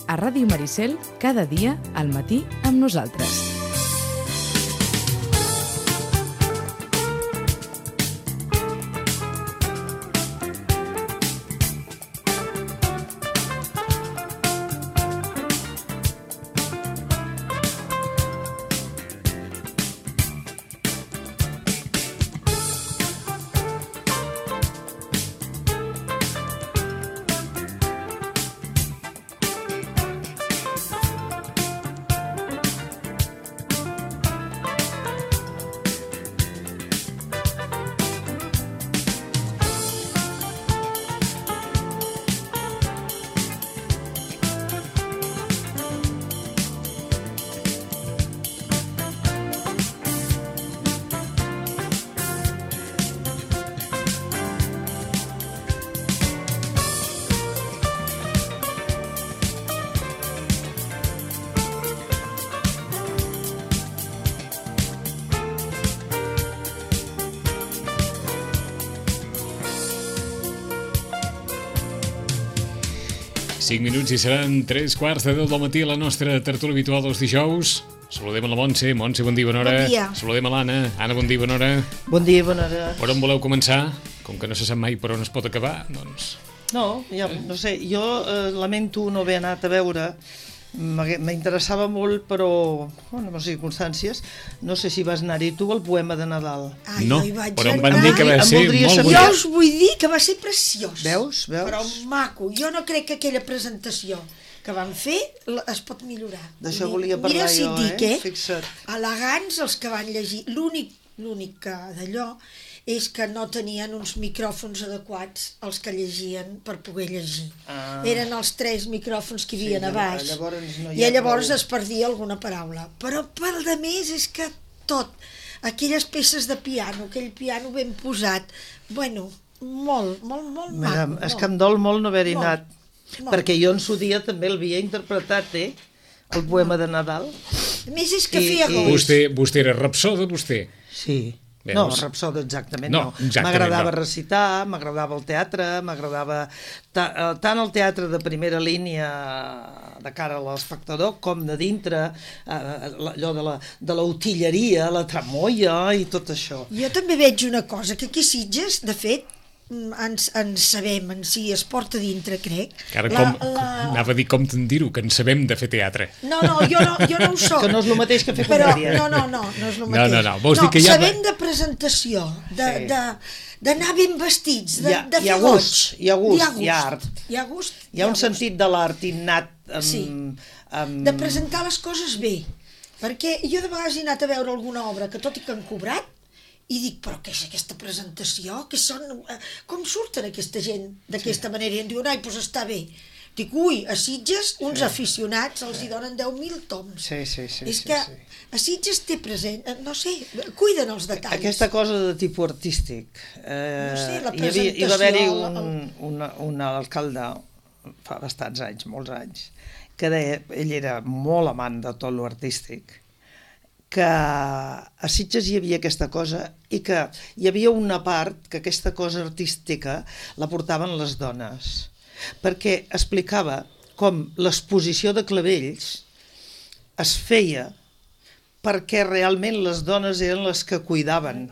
a Ràdio Maricel, cada dia al matí amb nosaltres. Cinc minuts i seran 3:15 del matí a la nostra tertúlia habitual dels dijous. Saludem a la Montse. Montse, bon dia, bona hora. Bon dia. Saludem a l'Anna. Anna, bon dia, bona hora. Bon dia, bona hora. Per on voleu començar? Com que no se sap mai per on es pot acabar, doncs... No, ja, no sé, jo lamento no haver anat a veure. M'interessava molt, però en les circumstàncies, no sé si vas anar-hi tu al poema de Nadal. No, jo hi vaig però em anar. van dir que va ser molt Jo bonic. us vull dir que va ser preciós. Veus? Però maco. Jo no crec que aquella presentació que van fer es pot millorar. D'això volia parlar Mira si jo, et dic, Fixa't. Elegants els que van llegir. L'únic que d'allò és que no tenien uns micròfons adequats els que llegien per poder llegir. Eren els 3 micròfons que hi havia a baix. I llavors es perdia alguna paraula. Però per de més és que tot, aquelles peces de piano, aquell piano ben posat, bueno, molt maco. És que em dol molt no haver-hi Molt. anat, perquè jo en su dia també l'havia interpretat, el poema de Nadal. A més és que feia goig. Vostè era rapsoda, vostè? Sí. Veus? No, rapsoda exactament No, no. exactament M'agradava no. recitar, m'agradava el teatre, m'agradava tant el teatre de primera línia de cara a l'espectador com de dintre, allò de la utilleria, la tramoia i tot això. Jo també veig una cosa, que aquí a Sitges, de fet, ens sabem, en si es porta dintre, crec. Ara anava a dir com te'n dir-ho, que en sabem de fer teatre. No, jo no ho soc. Que no és el mateix que fer Però, comèdia. no és el mateix. No. Vols dir que hi ha... sabent de presentació, d'anar ben vestits, de fer hi ha gust, hi ha art. Hi ha gust. Hi ha un sentit de l'art innat. De presentar les coses bé. Perquè jo de vegades he anat a veure alguna obra que tot i que han cobrat, i dic, però què és aquesta presentació? Com surten aquesta gent d'aquesta manera? I em diuen, doncs està bé. Dic, a Sitges, uns aficionats els hi donen 10.000 toms. Sí. És que a Sitges té present, no sé, cuiden els detalls. Aquesta cosa de tipus artístic. No sé, la presentació... Hi va haver-hi un alcalde, fa bastants anys, molts anys, que deia, ell era molt amant de tot l'artístic, que a Sitges hi havia aquesta cosa i que hi havia una part que aquesta cosa artística la portaven les dones, perquè explicava com l'exposició de clavells es feia perquè realment les dones eren les que cuidaven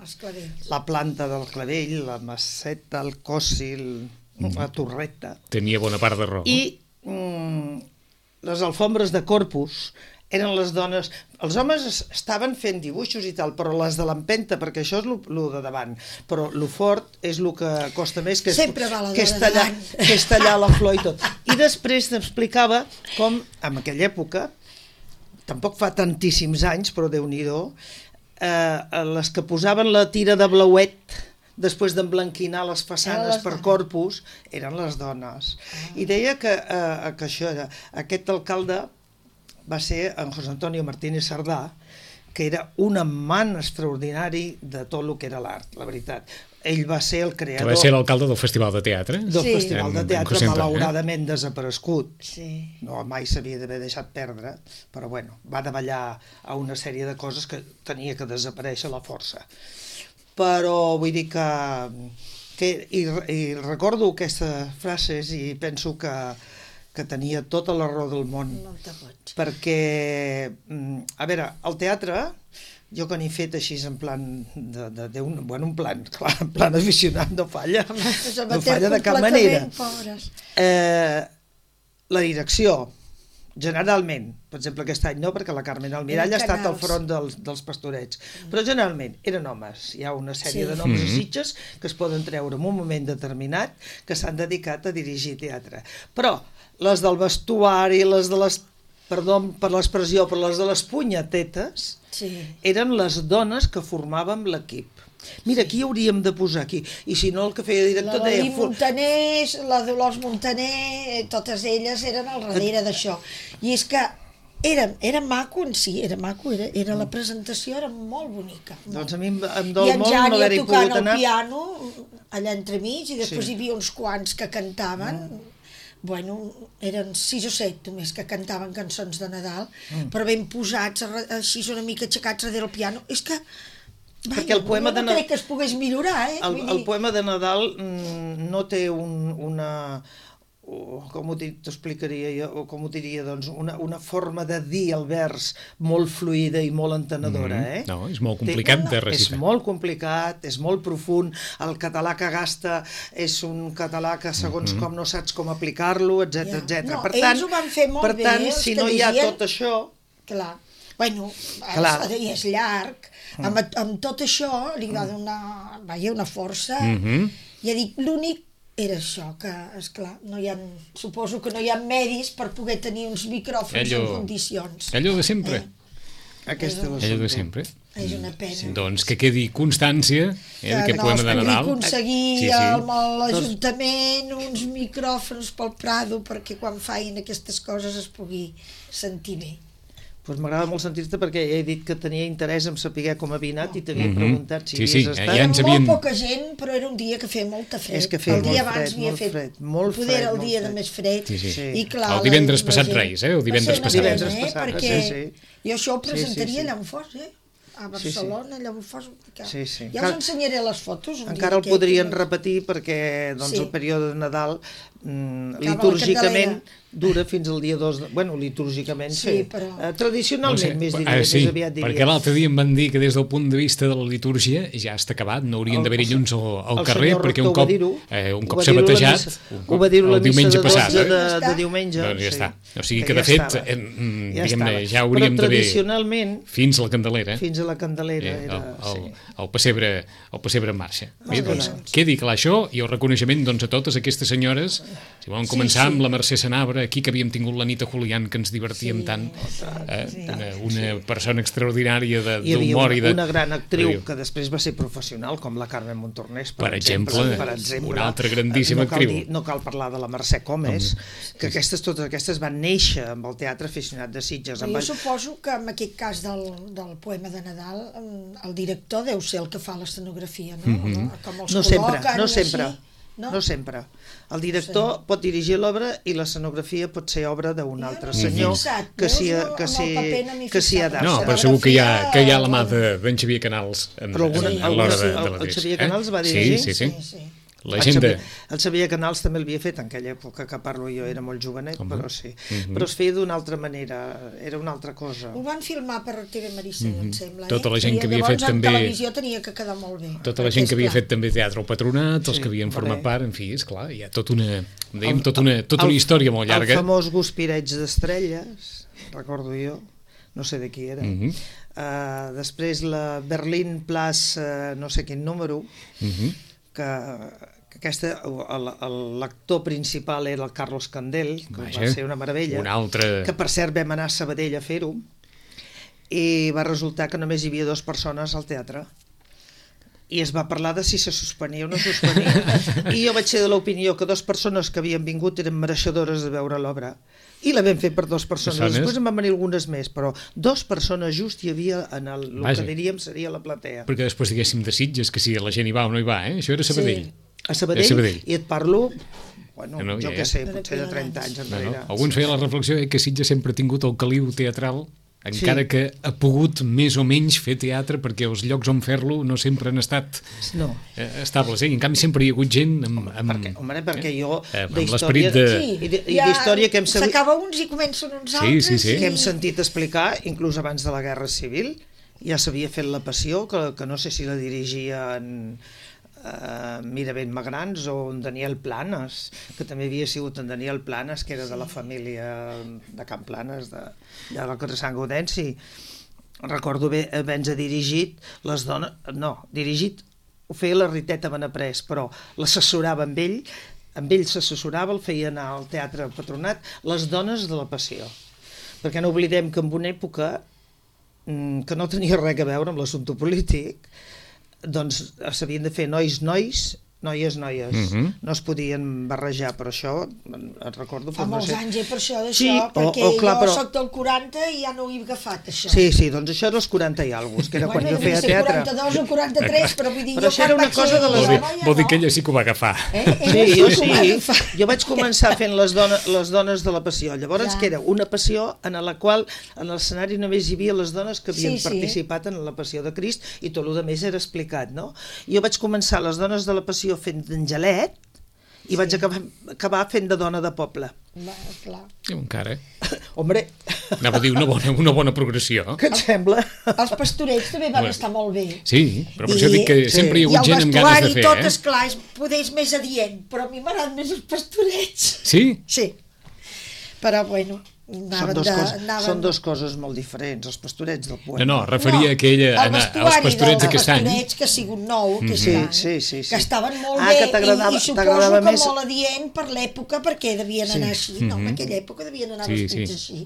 la planta del clavell, la maceta, el cossi, la torreta. Tenia bona part de raó. I les alfombres de Corpus eren les dones... Els homes estaven fent dibuixos i tal, però les de l'empenta, perquè això és el de davant, però el fort és el que costa més, que és tallar la flor i tot. I després t'explicava com, en aquella època, tampoc fa tantíssims anys, però Déu-n'hi-do, les que posaven la tira de blauet després d'emblanquinar les façanes per Corpus eren les dones. I deia que això era... Aquest alcalde va ser en José Antonio Martínez Sardà, que era un amant extraordinari de tot el que era l'art, la veritat. Ell va ser el creador... Que va ser l'alcalde del Festival de Teatre. Del Festival de Teatre, malauradament desaparegut. Sí. No, mai s'havia d'haver deixat perdre, però bueno, va davallar a una sèrie de coses que tenia que desaparèixer a la força. Però vull dir que i recordo aquestes frases i penso que que tenia tota la raó del món. Perquè, a veure, el teatre, jo que n'he fet així en plan un plan aficionat no falla de cap manera. La direcció, generalment, per exemple aquest any no, perquè la Carmen Almirall ha estat al front dels Pastorets, però generalment eren homes. Hi ha una sèrie de noms a Sitges que es poden treure en un moment determinat que s'han dedicat a dirigir teatre. Però les del vestuari, les de les, perdó per l'expressió, però les de les punyetetes eren les dones que formàvem l'equip. Mira, aquí hauríem de posar aquí. I si no, el que feia director deia... La Montaner, la Dolors Montaner, totes elles eren al darrere d'això. I és que era maco en si, era maco, la presentació era molt bonica. Doncs a mi em dol molt no haver-hi pogut anar. I en Jani tocant el piano, allà entremig, i després hi havia uns quants que cantaven... Bueno, eren 6 o 7 només que cantaven cançons de Nadal, però ben posats, així una mica aixecats darrere el piano. És que... Perquè el poema de Nadal... No crec que es pogués millorar, El poema de Nadal no té una... Com ho t'explicaria jo? O com ho diria, doncs, una forma de dir el vers molt fluida i molt entenedora, No, és molt complicat de recitar. És molt complicat, és molt profund. El català que gasta és un català que segons com no saps com aplicar-lo, etc. No, ells ho van fer molt bé. Per tant, si no hi ha tot això... Clar. Bueno, és llarg. Amb tot això li va donar una força. Ja dic, l'únic era això, que, esclar, suposo que no hi ha medis per poder tenir uns micròfons en condicions. Allò de sempre. Allò de sempre. És una pena. Doncs que quedi constància d'aquest poema de Nadal. Que aconseguir amb l'Ajuntament uns micròfons pel Prado perquè quan facin aquestes coses es pugui sentir bé. Doncs m'agrada molt sentir-te perquè he dit que tenia interès en saber com havia anat i t'havia preguntat si havies estat. Ja ens havien... Molt poca gent, però era un dia que feia molta fred. És que feia el dia abans havia fet poder el dia de més fred. I clar, el divendres passat Reis, el divendres passat. Perquè jo això ho presentaria allà on fos, a Barcelona, allà on fos. Ja us ensenyaré les fotos. Encara el podrien repetir perquè el període de Nadal litúrgicament dura fins al dia 2 de... Bueno, litúrgicament sí, però... tradicionalment més aviat diria. Perquè l'altre dia em van dir que des del punt de vista de la litúrgia ja està acabat, no haurien d'haver-hi llums al carrer perquè un cop s'ha batejat el diumenge passat. De diumenge. Doncs ja està. O sigui que de fet ja hauríem d'haver fins a la Candelera. Fins a la Candelera. El pessebre en marxa. Bé, doncs quedi clar això i el reconeixement a totes aquestes senyores. Si volen començar amb la Mercè Sanabra, aquí que havíem tingut l'Anita Julián, que ens divertíem tant, una persona extraordinària d'humor i de... Una gran actriu que després va ser professional, com la Carmen Montornès, per exemple, una altra grandíssima actriu. No cal parlar de la Mercè Comes, que totes aquestes van néixer amb el Teatre Aficionat de Sitges. Jo suposo que en aquest cas del poema de Nadal el director deu ser el que fa l'escenografia, no? Com els col·loquen, no sempre. No sempre. El director pot dirigir l'obra i l'escenografia pot ser obra d'un altre senyor que s'hi adapta. No, però segur que hi ha la mà d'en Xavier Canals a l'hora de la direcció. El Xavier Canals va dirigir? Sí. El Xavier Canals també el havia fet en aquella època que parlo jo, era molt jovenet, però sí. Però es feia d'una altra manera, era una altra cosa. Ho van filmar per TV Maricel, em sembla. Tota la gent que havia fet també... Llavors en televisió tenia que quedar molt bé. Tota la gent que havia fet també teatre al Patronat, els que havien format part, en fi, esclar, hi ha tota una història molt llarga. El famós Guspireig d'Estrelles, recordo jo, no sé de qui era. Després la Berlín Place, no sé quin número, que l'actor principal era el Carlos Candel, que va ser una meravella, que per cert vam anar a Sabadell a fer-ho, i va resultar que només hi havia 2 persones al teatre. I es va parlar de si se suspenia o no suspenia. I jo vaig ser de l'opinió que 2 persones que havien vingut eren mereixedores de veure l'obra. I la vam fer per 2 persones. Després en van venir algunes més, però 2 persones just hi havia en el que diríem seria la platea. Perquè després diguéssim de Sitges, que si la gent hi va o no hi va, Això era a Sabadell. A Sabadell, i et parlo, jo què sé, potser de 30 anys enrere. Alguns feien la reflexió que Sitges sempre ha tingut el caliu teatral encara que ha pogut més o menys fer teatre, perquè els llocs on fer-lo no sempre han estat estables, i en canvi sempre hi ha hagut gent perquè jo l'esperit d'història que hem sabut... S'acaba uns i comencen uns altres. Que hem sentit explicar, inclús abans de la Guerra Civil, ja s'havia fet La Passió, que no sé si la dirigia en Miravent Magrans o en Daniel Planes, que també havia sigut en Daniel Planes, que era de la família de Can Planes, de la carrer Sant Gaudenci. Recordo haver-nos dirigit les dones... No, dirigit ho feia la Riteta Benaprés, però l'assessorava amb ell s'assessorava, el feia anar al Teatre Patronat, les dones de La Passió. Perquè no oblidem que en una època que no tenia res a veure amb l'assumpte polític, doncs s'havien de fer noies, noies. No es podien barrejar, però això, et recordo... Fa molts anys, per això d'això, perquè jo soc del 40 i ja no ho he agafat, això. Sí, doncs això dels 40 i algus, que era quan jo feia teatre. 42 o 43, però vull dir... Però això era una cosa de les... Vol dir que ella sí que ho va agafar. Sí, jo vaig començar fent les dones de La Passió, llavors que era una passió en la qual en l'escenari només hi havia les dones que havien participat en La Passió de Crist i tot el més era explicat, no? Jo vaig començar les dones de La Passió fent d'Angelet i vaig acabar fent de dona de poble. Clar. Encara. Hombre. Anava a dir una bona progressió. Què et sembla? Els pastorets també van estar molt bé. Sí, però per això dic que sempre hi ha hagut gent amb ganes de fer. I el vestuari tot, esclar, és més adient, però a mi m'agraden més els pastorets. Sí? Sí. Però bueno... Són dues coses molt diferents, els pastorets del poema. No, referia que ella als pastorets d'aquest any. El pastorets que ha sigut nou aquest any, que estaven molt bé i suposo que molt adient per l'època, perquè devien anar així, no? En aquella època devien anar vestits així.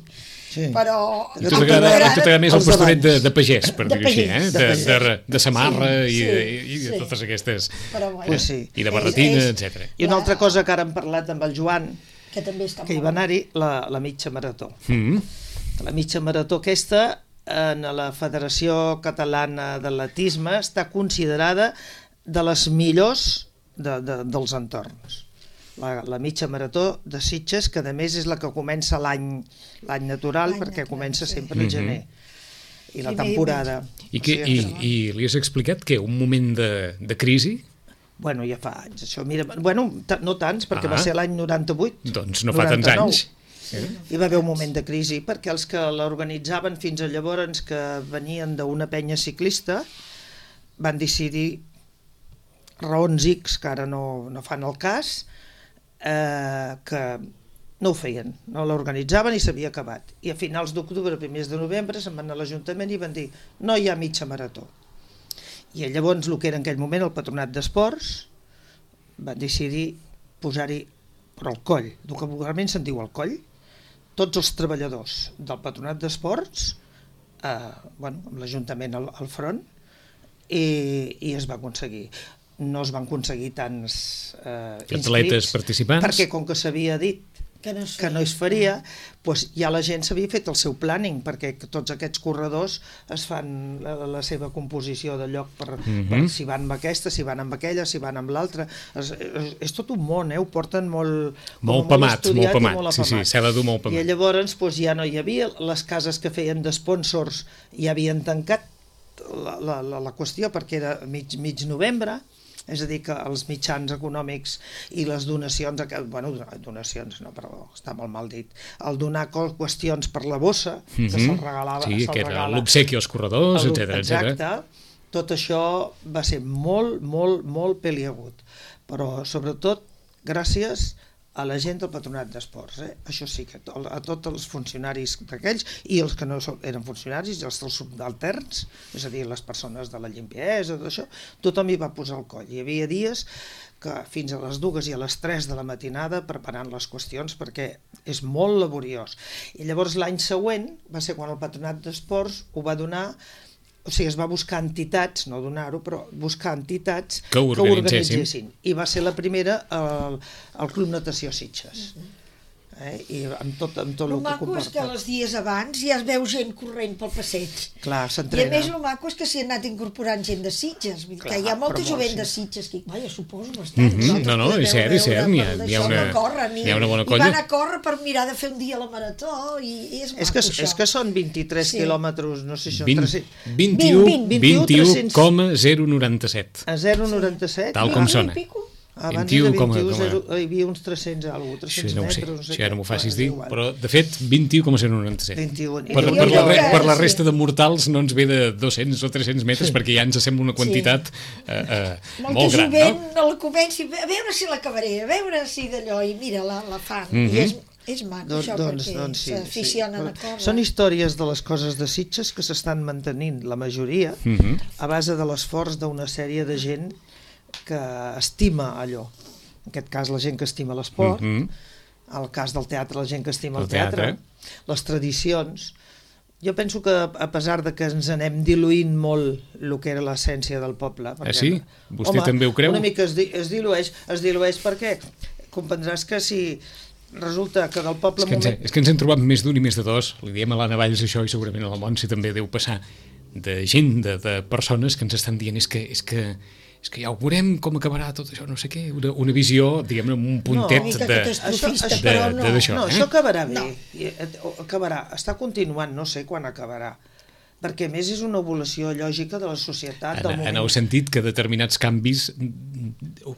Però... I tu t'agrada més el pastoret de pagès, per dir-ho així, de samarra i de totes aquestes... I de barretina, etc. I una altra cosa que ara hem parlat amb el Joan, que hi va anar-hi la mitja marató. La mitja marató aquesta, en la Federació Catalana d'Atletisme, està considerada de les millors dels entorns. La mitja marató de Sitges, que a més és la que comença l'any natural, perquè comença sempre al gener, i la temporada. I li has explicat que un moment de crisi... Bueno, ja fa anys, això. Mira, bueno, no tants, perquè va ser l'any 98. Doncs no fa tants anys. Hi va haver un moment de crisi, perquè els que l'organitzaven fins a llavors, que venien d'una penya ciclista, van decidir, raons X, que ara no fan el cas, que no ho feien, no l'organitzaven i s'havia acabat. I a finals d'octubre, primers de novembre, se'n van anar a l'Ajuntament i van dir no hi ha mitja marató. I llavors el que era en aquell moment el Patronat d'Esports va decidir posar-hi per al coll, vocabulàriament se'n diu el coll, tots els treballadors del Patronat d'Esports, amb l'Ajuntament al front, i es va aconseguir. No es van aconseguir tants atletes participants, perquè com que s'havia dit que no es faria, doncs ja la gent s'havia fet el seu planning, perquè tots aquests corredors es fan la seva composició de lloc per si van amb aquesta, si van amb aquella, si van amb l'altra. És tot un món, ho porten molt pamat, sí, s'ha de dur molt pamat. I llavors ja no hi havia, les cases que feien d'espònsors ja havien tancat la qüestió, perquè era mig novembre. És a dir, que els mitjans econòmics i les donacions, donacions no, però està molt mal dit, el donar qüestions per la bossa, que se'l regalava... Sí, que era l'obsequi als corredors, etc. Exacte, tot això va ser molt, molt, molt peliagut, però sobretot gràcies a la gent del Patronat d'Esports. Això sí, que a tots els funcionaris d'aquells i els que no eren funcionaris, els subalterns, és a dir, les persones de la limpiesa, d'això, tothom hi va posar el coll. Hi havia dies que fins a les 2 i a les 3 de la matinada preparant les qüestions, perquè és molt laboriós. I llavors l'any següent va ser quan el Patronat d'Esports ho va donar, o sigui, es va buscar entitats, no donar-ho, però buscar entitats que ho organitzessin. I va ser la primera el Club Natació Sitges. I amb tot el que maco és que comporta. els dies abans ja es veu gent corrent pel passeig. Clar, I a s'entrena. més el maco és que s'hi ha anat incorporant gent de Sitges, vull dir que hi ha molta però jovent molt, de sí. Sitges que, vaja, suposo bastant. No, és cert, n'hi ha una bona colla. I van a córrer per mirar de fer un dia la marató i és maco, És que són 23 Sí. quilòmetres, no sé si són 21,097. a 0,97. Tal com sona. Abans 21, hi havia uns 300 alguna cosa, 300 Això no ho sé, metres. això ja no m'ho facis dir, però de fet 21,097. 21. Per la resta de mortals no ens ve de 200 o 300 metres perquè ja ens sembla una quantitat molt gran, jovent no? el comenci, a veure si l'acabaré, a veure si d'allò, i mira, la fan. I és maco això, perquè sí, s'aficionen a córrer. Són històries de les coses de Sitges que s'estan mantenint, la majoria, a base de l'esforç d'una sèrie de gent que estima allò. En aquest cas, la gent que estima l'esport, el cas del teatre, la gent que estima el teatre, les tradicions. Jo penso que, a pesar de que ens anem diluint molt el que era l'essència del poble... Sí? Vostè també ho creu? Una mica es dilueix perquè comprendràs que si resulta que del poble... És que ens hem trobat més d'un i més de dos. Li diem a l'Anna Valls això i segurament a la Montse també deu passar de gent, de persones que ens estan dient és que ja ho veurem com acabarà tot això, no sé què, una visió, diguem-ne, amb un puntet d'això. No, això acabarà bé, acabarà, està continuant, no sé quan acabarà, perquè a més és una evolució lògica de la societat. En el sentit que determinats canvis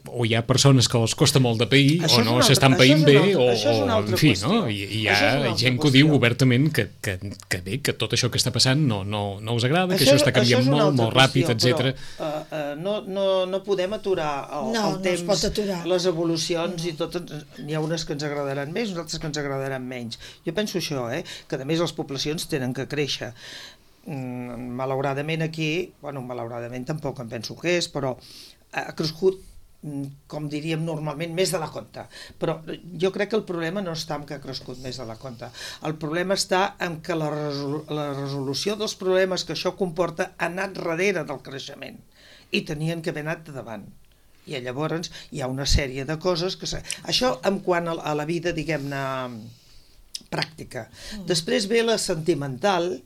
o hi ha persones que els costa molt de pair o no s'estan païnt bé o en fi, no? I hi ha gent que ho diu obertament que bé, que tot això que està passant no us agrada, que això està canviant molt ràpid, etc. No podem aturar el temps, les evolucions i tot, n'hi ha unes que ens agradaran més, unes altres que ens agradaran menys. Jo penso això, que a més les poblacions tenen que créixer. Malauradament aquí, malauradament tampoc em penso que és, però ha crescut, com diríem normalment, més de la compte. Però jo crec que el problema no està en que ha crescut més de la compte. El problema està en que la resolució dels problemes que això comporta ha anat darrere del creixement i tenien que haver anat de davant. I llavors hi ha una sèrie de coses que... Això en quant a la vida, diguem-ne, pràctica. Després ve la sentimental,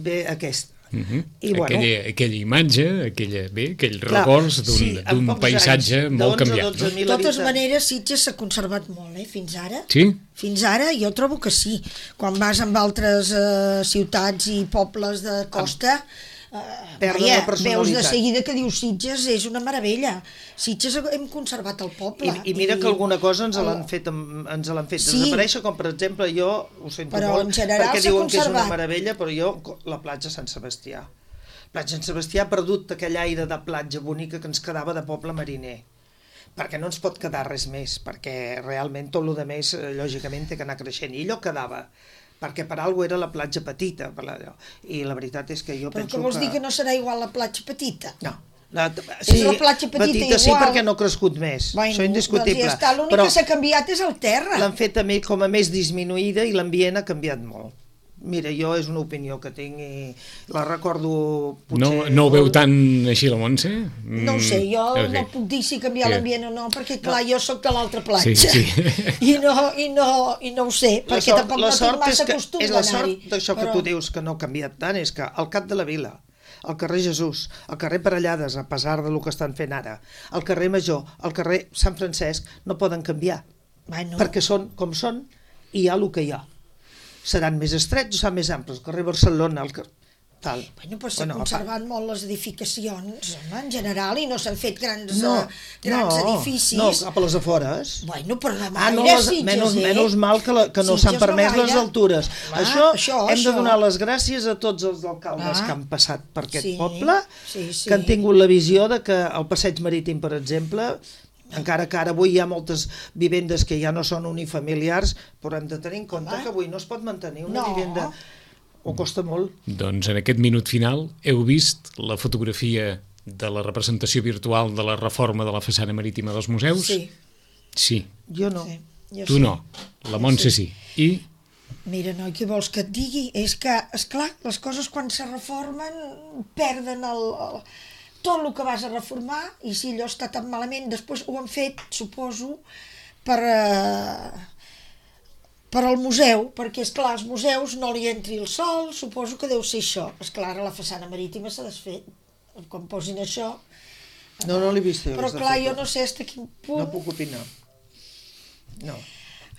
ve aquesta. I, aquella imatge, aquell records d'un paisatge molt canviat. De totes maneres, Sitges s'ha conservat molt, fins ara. Sí? Fins ara jo trobo que sí. Quan vas amb altres ciutats i pobles de costa... veus de seguida que dius Sitges és una meravella. Sitges hem conservat el poble. I mira que alguna cosa ens l'han fet desaparèixer, com per exemple jo ho sento molt, perquè diuen que és una meravella, però jo la platja Sant Sebastià. Platja Sant Sebastià ha perdut aquell aire de platja bonica que ens quedava de poble mariner, perquè no ens pot quedar res més, perquè realment tot el que més lògicament té que anar creixent, i allò quedava perquè per alguna era la platja petita, i la veritat és que jo penso que... Però què vols dir, que no serà igual la platja petita? No. És la platja petita igual. Sí, perquè no ha crescut més, això és indiscutible. Doncs ja està, l'únic que s'ha canviat és el terra. L'han fet també com a més disminuïda i l'ambient ha canviat molt. Mira, jo és una opinió que tinc i la recordo potser... No ho veu tan així la Montse? No ho sé, jo no puc dir si canviar l'ambient o no, perquè clar, jo sóc de l'altra platja i no ho sé, perquè tampoc no tinc massa costum d'anar-hi. La sort d'això que tu dius que no ha canviat tant és que al cap de la vila, al carrer Jesús, al carrer Parellades, a pesar del que estan fent ara, al carrer Major, al carrer Sant Francesc, no poden canviar, perquè són com són i hi ha el que hi ha. Seran més estrets o seran més amples? El carrer Barcelona, tal. Però s'han conservat molt les edificacions, en general, i no s'han fet grans edificis. No, cap a les afores. Però no gaire Sitges, menys mal que no s'han permès les altures. Això hem de donar les gràcies a tots els alcaldes que han passat per aquest poble, que han tingut la visió de que el passeig marítim, per exemple, encara que ara avui hi ha moltes vivendes que ja no són unifamiliars, però hem de tenir en compte que avui no es pot mantenir una vivenda, o costa molt. Doncs en aquest minut final heu vist la fotografia de la representació virtual de la reforma de la façana marítima dels museus? Sí. Jo no. Tu no, la Montse sí. I? Mira, noi, què vols que et digui? És que, esclar, les coses quan se reformen perden tot el que vas a reformar, i si allò està tan malament, després ho han fet, suposo, per per al museu, perquè, esclar, als museus no li entri el sol, suposo que deu ser això. Esclar, ara la façana marítima s'ha desfet, quan posin això. No l'he vist jo. Però, clar, jo no sé fins a quin punt... No puc opinar. No.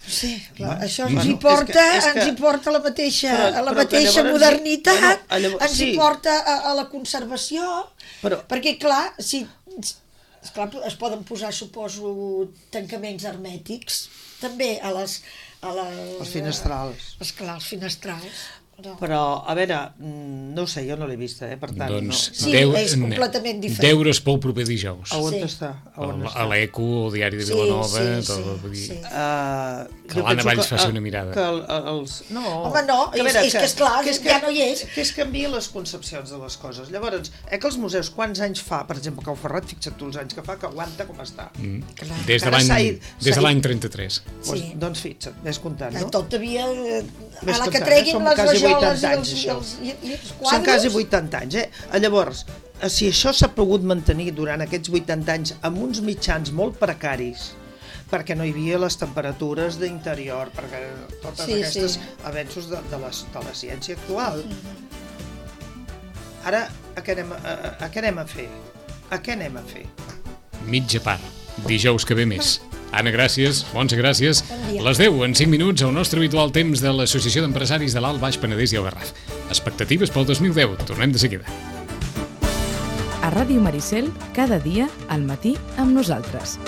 Sí, clar, això ens hi porta, ens hi porta la mateixa modernitat, ens hi porta a la conservació, perquè, clar, es poden posar, suposo, tancaments hermètics, també els finestrals. Esclar, els finestrals. Però, a veure, no ho sé, jo no l'he vist, per tant... Doncs sí, és completament diferent. Deures pel proper dijous. On està? A l'Eco, al Diari de Vilanova... Que l'Anna Valls faci una mirada. Home, no, és que esclar, ja no hi és. Que es canvien les concepcions de les coses. Llavors, que els museus, quants anys fa, per exemple, Cau Ferrat, fixa't tu els anys que fa, que aguanta com està. Des de l'any 33. Doncs fixa't, ves comptant, no? Tot havia... A la que treguin les rajoles i els quadres... Són quasi 80 anys, Llavors, si això s'ha pogut mantenir durant aquests 80 anys amb uns mitjans molt precaris, perquè no hi havia les temperatures d'interior, perquè totes aquestes avenços de la ciència actual. Ara, a què anem a fer? A què anem a fer? Mitja part. Dijous que ve més. Anna, gràcies. Montse, gràcies. Bon Les 10 en 5 minuts al nostre habitual temps de l'Associació d'Empresaris de l'Alt, Baix Penedès i el Garraf. Expectatives pel 2010. Tornem de seguida. A Ràdio Maricel, cada dia, al matí, amb nosaltres.